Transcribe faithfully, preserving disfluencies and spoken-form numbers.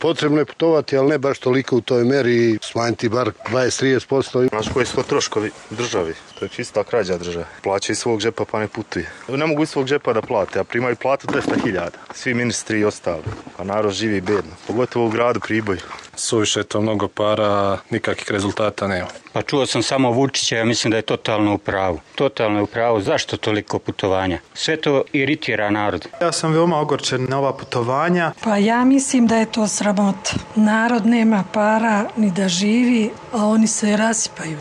Potrebno je putovati, ali ne baš toliko u toj meri, smanjiti bar dvadeset do trideset posto. Znaš koji su to troškovi državi? To je čista krađa države. Plaća iz svog džepa pa ne putuje. Ne mogu iz svog džepa da plate, a primaju platu dvesta hiljada. Svi ministri i ostali. A narod živi bedno. Pogotovo u gradu Priboju. Suviše je to mnogo para, nikakvih rezultata nema. Pa čuo sam samo Vučića, ja mislim da je totalno u pravu. Totalno je u pravu. Zašto toliko putovanja? Sve to iritira narod. Ja sam veoma ogorčen na ova putovanja. Pa ja mislim da je to sramota. Narod nema para ni da živi, a oni se rasipaju.